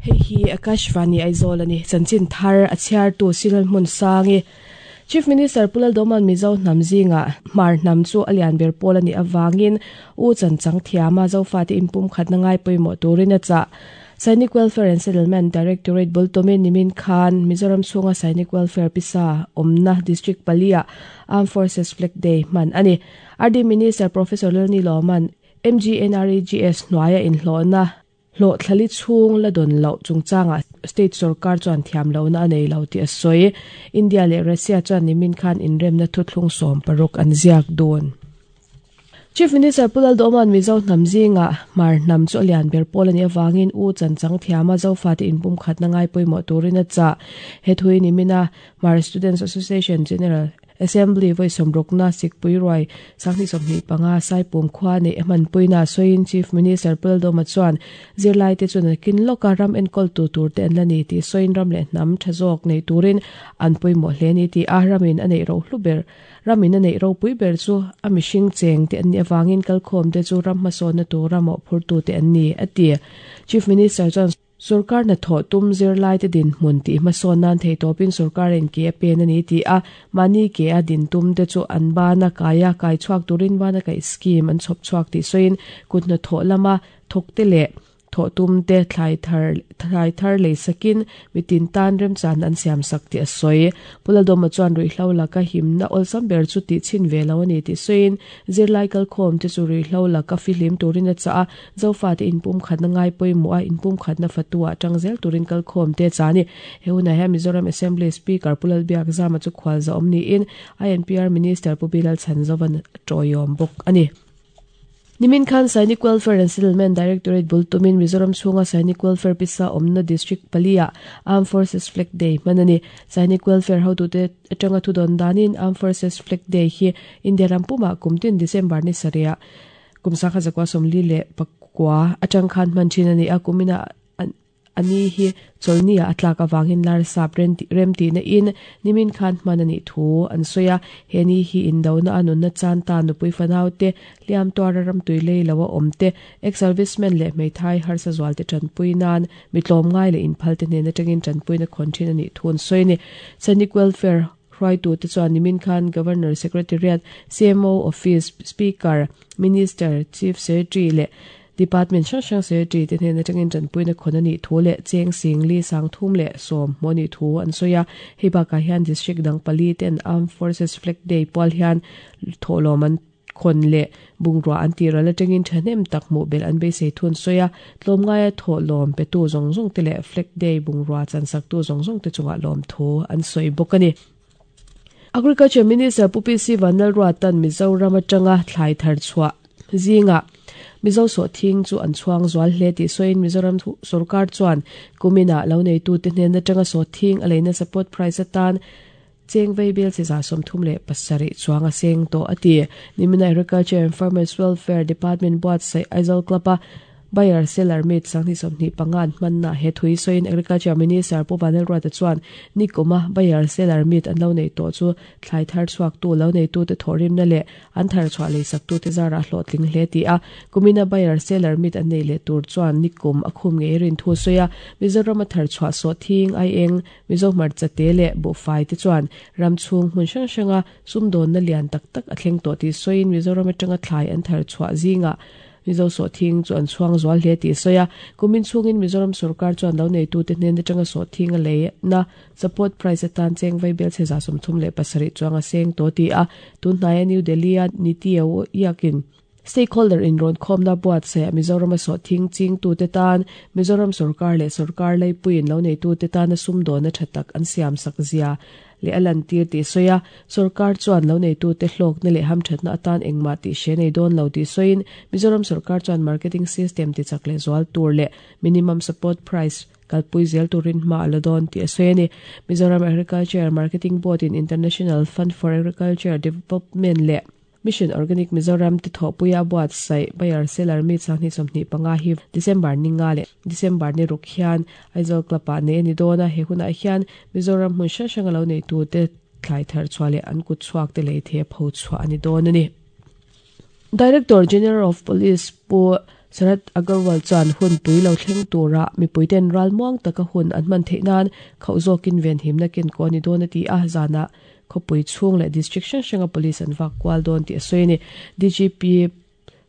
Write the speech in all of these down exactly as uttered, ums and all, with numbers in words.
Hei hi Akashvani Aizawl ani chanchin thar a chhiar tu Sinal Hmun Sangi Chief Minister Pu Lalduhoma'n Mizo hnam zinga hmar hnam chu a lian ber pawl ani awangin u chanchang thiama Zofa te inpum khatna ngai pawimawh turin a chah. Sainik Welfare and Settlement Directorate bultumin nimin khan Mizoram chhunga Sainik Welfare pisa awmna District palia Armed Forces Flag Day hman ani. R D Minister Professor Lalni Lawman M G N R E G S hnuaia inhlawhna hlawh thlali chhung la dawn loh chungchanga state sarkar chuan thiam lohna a nei lo tih a sawi. India leh Russia chuan nimin khan inremna thuthlung sawm paruk an ziak dawn. Chief Minister Pu Lalduhoma'n Mizo hnam zinga hmar hnam chu a lian ber pawl ani awangin u chanchang thiama Zofa te inpum khatna ngai pawimawh turin a chah. He thui nimina Hmar Students Association General Assembly voi sawmrukna sikpui ruai sanghnih sawmhnih panga saipum khua nei a hmanpuina sawiin Chief Minister Pu Lalduhoma chuan zirlai te chuan a kin lawka ram enkawl tu tur te an la ni tih sawiin ram leh hnam tha zawk nei turin an pawimawh hle ni tih a ramin a neih ro hlu ber ramin a neih ropui ber chu a mihring cheng te an ni awangin kalkhawm te chu ram hmasawnna tura mawhphur tu te an ni a ti. Chief Minister chuan sarkar na thaw tum zirlai te din hmun tih hmasawn nan thei tawpin sarkar in ke a pen ani ti a mani ke a din tum te chu an bana kaya kai chhuak turin bana kai scheme an chhawp chhuak tih sawiin kutna thaw lama thawk te leh thaw tum te thlai thar thlai thar lei sakin mitin tan rem chan an siam sak ti a sawi. Pu Lalduhoma chuan ruihhlo laka himna awlsam ber chu tih chhin ve lo ani tih sawiin zirlai kalkhawm te chu ruihhlo laka fihlim turin a chah a Zofa te inpum khatna ngai pawimawh a inpum khatna fatua atang zel turin kalkhawm te chani. He hunah hian Mizoram Assembly Speaker Pu Lalbiakzama chu khual za awm niin I N P R Minister Pu Bilal Chhanzovan tawiawm bawk ani. Nimin khan Sainik Welfare and Settlement Directorate bultumin Mizoram chhunga Sainik Welfare pisa awmna District palia Armed Forces Flag Day hmanani. Sainik Welfare hotute atanga thudawn danin Armed Forces Flag Day hi India rampuma kumtin December ni saria kumsakha zakwa sawmli leh pakua atang khan hman thin ani a kumina ani hi cholnia atlak awangin lar sap rem ti na in nimin khan hman ani thu an soya heni hi indona anun na chan ta nupui fanau te liam tuara ram tui lei lawa awm te ex servicemen leh hmeithai harsa zual te tanpui nan mitlawm ngai leh inphal te hnen atangin tanpui na khawn thin ani thu an sawi ni. Sainik Welfare hruaitu te chuan nimin khan Governor Secretariat C M O Office Speaker Minister Chief Secretary leh Department hrang hrang secretary te hnen atangin tanpuina khawn ani thu leh cheng sing li sang thum leh sawm hmawni thu an sawi a. Hei bakah hian district dang pali ten Armed Forces Flag Day pual hian thawhlawm an khawn leh bungrua an ti ral atangin thahnem tak hmuh bel an beisei thu an sawi a. Tlawmngaia thawhlawm pe tu zawng zawng te leh Flag Day bungrua chansak tu zawng zawng te chungah lawm thu an sawi bawk ani. Agriculture Minister Pu P C Vanlalruatan Mizoram atanga thlai thar chhuah zinga Mizo saw thing chu an chhuang zual hle tih sawiin Mizoram sarkar chuan kumina lo nei tu te hnen atanga saw thing a leina support price atan cheng vei bel chi za sawmthum leh pasarih chuang a seng tawh a ti. Nimina Agriculture and Farmers Welfare Department buatsaih Aizawl Club a Buyer seller meet sanghnih sawmhnih pangan hmanna he thui sawiin Agriculture Minister Pu Vanlalruata chuan nikuma buyer seller meet an lo nei tawh chu thlai thar chhuak tu lo nei tu te thawhrimna leh an thar chhuah lei sak tu te zara hlawhtling hle ti a. Kumina buyer seller meet an nei leh tur chuan nikum a khum ngei rin thu sawi a. Mizoram a thar chhuah saw thing ai eng Mizo hmarcha te leh buhfai te chuan ram chhung hmun hrang hranga sumdawnna lian tak tak a thleng tawh tih sawiin Mizoram atanga thlai an thar chhuah zinga Mizo saw thing chu an chhuang zual hle tih sawi a. Kumin chhungin Mizoram sarkar chuan lo nei tu te hnen atanga saw thing a lei na support price atan cheng vai bel che za sawmthum leh pasarih chuang a seng tawh ti a. Tunhnai a New Delhi a Niti Aayog stakeholder in rawn khawmna buatsaih Mizoram a saw thing ching tu te tan Mizoram sarkar leh sarkar leipuiin lo nei tu te tan a sumdawnna tha tak an siam sak zia leh a lan tir tih sawi a. Sarkar chuan lo nei tu te hlawkna leh hamthatna atan engmah tih hre nei dawn lo tih sawiin Mizoram sarkar chuan marketing system ti chak leh zual tur leh minimum support price kalpui zel turin hma a la dawn tih a sawi ani. Mizoram Agriculture Marketing Board in International Fund for Agriculture Development leh Mission Organic Mizoram ti thawhpuia buatsaih buyer seller meet sanghnih sawmhnih panga hi December ninga leh December ni ruk hian Aizawl Club ah nei ani dawn a. He hunah hian Mizoram hmun hrang hrang a lo nei tu te thlai thar chhuah leh an kut chhuak te lei thei a pho chhuah a ni dawn a ni. Director General of Police Pu Sharad Agarwal chuan hun pui lo thleng tura mipui ten ralmuang taka hun an hman theih nan khauh zawkin venhimna ken ko a ni dawn a ti a, zana khawpui chhung leh district hrang hranga police an vak kual dawn tih a sawi a ni. D G P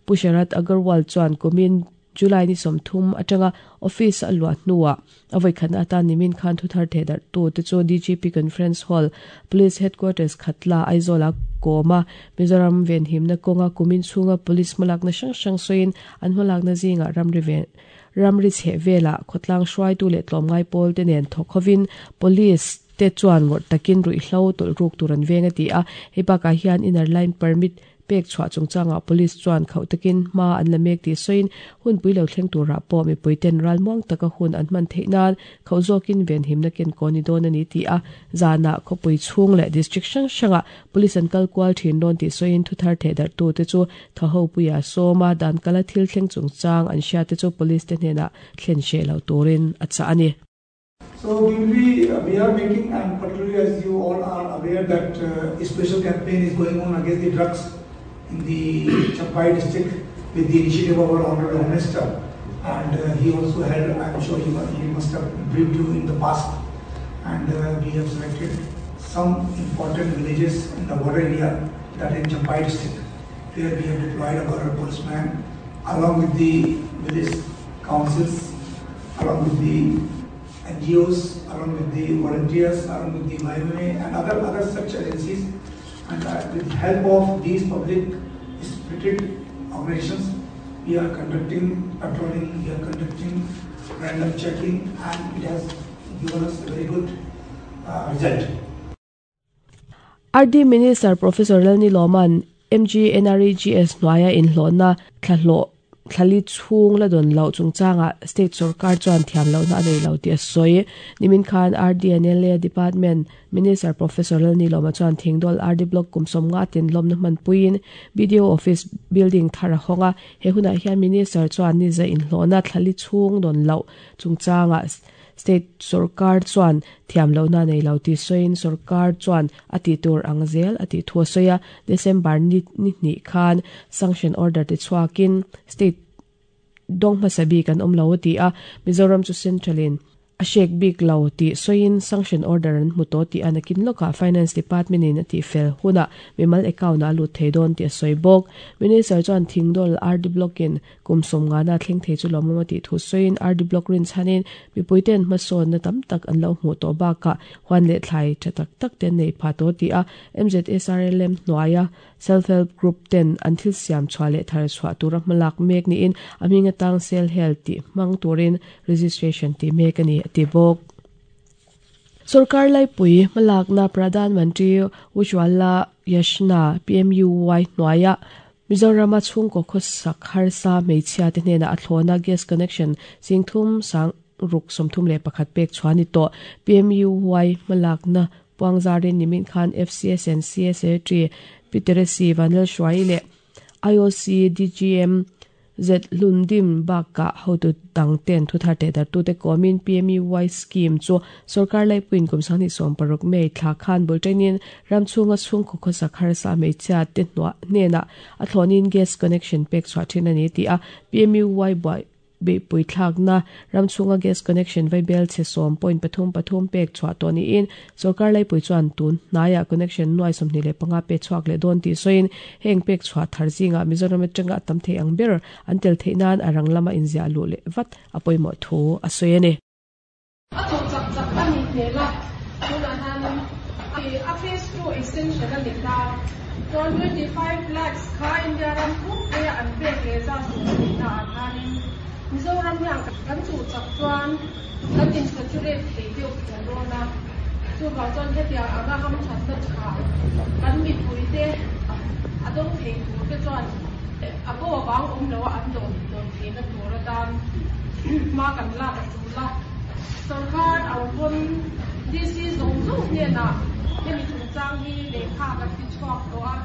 Pu Sharad Agarwal chuan kumin July ni sawmthum atanga office a luah hnuah a vawikhana atan nimin khan thuthar theh darh tu te chu D G P Conference Hall Police Headquarters Khatla Aizawl a kawma Mizoram venhimna kawnga kumin chhunga police hmalakna hrang hrang sawiin an hmalakna zingah ramri ven ramri chheh velah khawtlang hruaitu leh tlawmngai pawl te nen thawk hovin police te chuan ngawrh takin ruihhlo tawlh ruk tur an veng a ti a, hei bakah hian inner line permit pek chhuah chungchangah police chuan khauh takin hma an la mek tih sawiin hunpui lo thleng turah pawh mipui ten ralmuang taka hun an hman theih nan khauh zawkin venhimna ken ko ni dawn a ni ti a, zanah khawpui chhung leh district hrang hrangah police an kal kual thin dawn tih sawiin thuthar theh darh tu te chu thaho puia sawma dan kala thil thleng chungchang an hria te chu police te hnenah thlen hreh lo turin a chah a ni. So we will be, uh, we are making, and particularly as you all are aware that uh, a special campaign is going on against the drugs in the Champhai district with the initiative of our Honorable Home Minister, and uh, he also had, I am sure he, he must have briefed you in the past, and uh, we have selected some important villages in the border area, that in Champhai district, where we have deployed our policemen along with the village councils, along with the N G Os, along with the volunteers, along with the Y M A and other, other such agencies, and, uh, with the help of these public spirited organizations, we are conducting patrolling, we are conducting random checking, and it has given us a very good, uh, result. R D Minister Professor Lalnilawma'n M G N R E G S hnuaia inhlawhna thlahlawh thlali chhung la don lo chungchanga state sarkar chuan thiam lo na nei lo ti a sawi. Nimin khan R D N L A Department Minister Professor Lalnilawma chuan Thingdawl R D Block kumsawm nga tin lawmna hman puiin B D O Office Building thar a hawnga. He hunah hian Minister chuan ni za inhlawhna thlali chhung don lo chungchanga state sarkar chuan thiam lo na nei lo ti sawiin sarkar chuan a ti tur ang zel a ti thu a sawi a. December ni ni hnih khan sanction order te chhuakin state dong hmasabi kan awm lo a ti a. Mizoram chu centralin a shek bik lo ti sawiin sanction order an hmu tawh ti a nakin lawkah Finance Department in a ti fel huna mimal account a lut thei dawn ti a sawi bawk. Minister chuan Thingdawl R D Block in kum sawm nga na thleng thei chu lawmawm a ti thu sawiin R D Block rin chhanin mipui ten hmasawn na tam tak an lo hmuh tawh bakah huan leh thlai tha tak tak ten nei pha tawh ti a. M Z S R L M hnuaia self-help group ten an thil siam chhuah leh thar chhuah tura hmalak mek niin a hming atang sel hel ti hmang turin registration ti mek a ni a ti bawk. Sarkar laipui hmalakna Pradhan Mantri Ujjwala Yojana P M U Y hnuaia Mizorama chhungkaw khawsak harsa hmeichhia te hnenah a thlawna gas connection singthum sang ruk sawmthum leh pakhat pek chhuah ni tawh. P M U Y hmalakna puangzarin nimin khan F C S and C S A T Peter C Vanel Hruai leh I O C D G M Z Lundim bakah hotu dang ten thuthar te dar tu te komin P M U Y scheme chu sarkar laipuin kum sangni sawm paruk mei thla khan bultainin ramchhunga chhungkaw khawsak harsa hmeichhia te hnuah hnenah a thlawnin gas connection pek chhuah thin a ni ti a. P M U Y buai beihpui thlakna ramchhunga gas connection vaibel chhe sawm point pathum pathum pek chhuah tawh niin sarkar laipui chuan tun hnaiah connection nuai sawmhnih leh panga pe chhuak leh dawn tih sawiin heng pek chhuah thar zingah Mizoram atanga tam thei ang ber an tel theih nan a rang lama inziah luh leh vat a pawimawh thu a sawi a ni. A chawk chak chak a ni hmel a, tunah hianin a phase two extension a ni ta. Chuan twenty-five lakhs kha India ram pumpuia an pek leh za sawm a ni na ah khanin Mizoram hian kan chu chak chuan kan insaturate thei deuh tawh dawn a. Chuvang chuan hetiang anga ham thatna tha kan mipui te a dawng thei tur te chuan a bo awang awm lo a an dawn dawn theihna tur atan hma kan lak a tul a. Sarkar ang pawn D C zawng zawng hnenah hemi chungchang hi lehkha kan ti chhuak tawh a.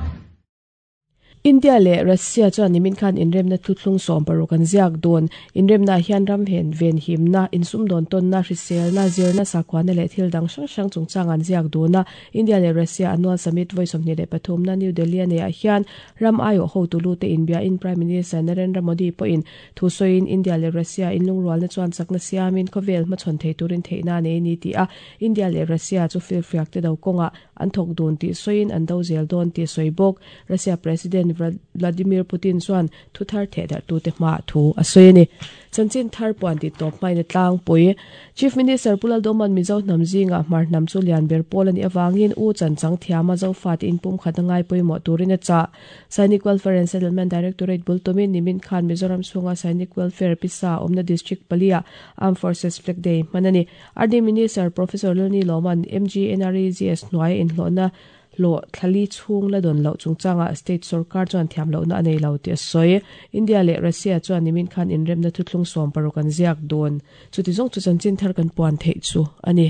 India le Russia chuan nimin khan inremna thuthlung sawm paruk an ziak dawn inremna hian ram hen ven himna insum dawn ton na hriselna zirna sakhuana leh thil dang hrang hrang chungchang an ziak dawna India le Russia annual summit voi sawmhnih leh pathum na New Delhi ane ah hian ram aio ho tulu te inbia in Prime Minister Narendra Modi pawhin thu sawiin India le Russia inlungrualna chuan chakna siamin khawvel hmachhawn thei turin theihna nei ni ti a India le Russia chu filfiak te do kawnga an thawk dun tih sawiin an do zel dawn tih sawi bawk Russia President Vladimir Putin chuan thu thar theh darh tu te hma thu a sawi ani chanchin thar puan ti tawp hmain tlang pui Chief Minister Pulal Doman Mizo hnam zinga hmar hnam chu lian ber pawl ani awangin u chan chang thiama zo fa te in pum khat angai pawimawh turin a cha Sainik Welfare and Settlement Directorate bultumin nimin khan Mizoram chhunga Sainik Welfare Pisa awmna District palia Armed Forces Flag Day hmanani R D Minister Professor Lani Loman M G N R E G S hnuai inhlawhna lo thlali chung la don lo chungchanga state sarkar chuan thiam lo na anei lo ti soi India le Russia chuan nimin khan inremna thuthlung sawm paruk an ziak dawn chuti zawng chu chanchin thar kan puan thei chu ani.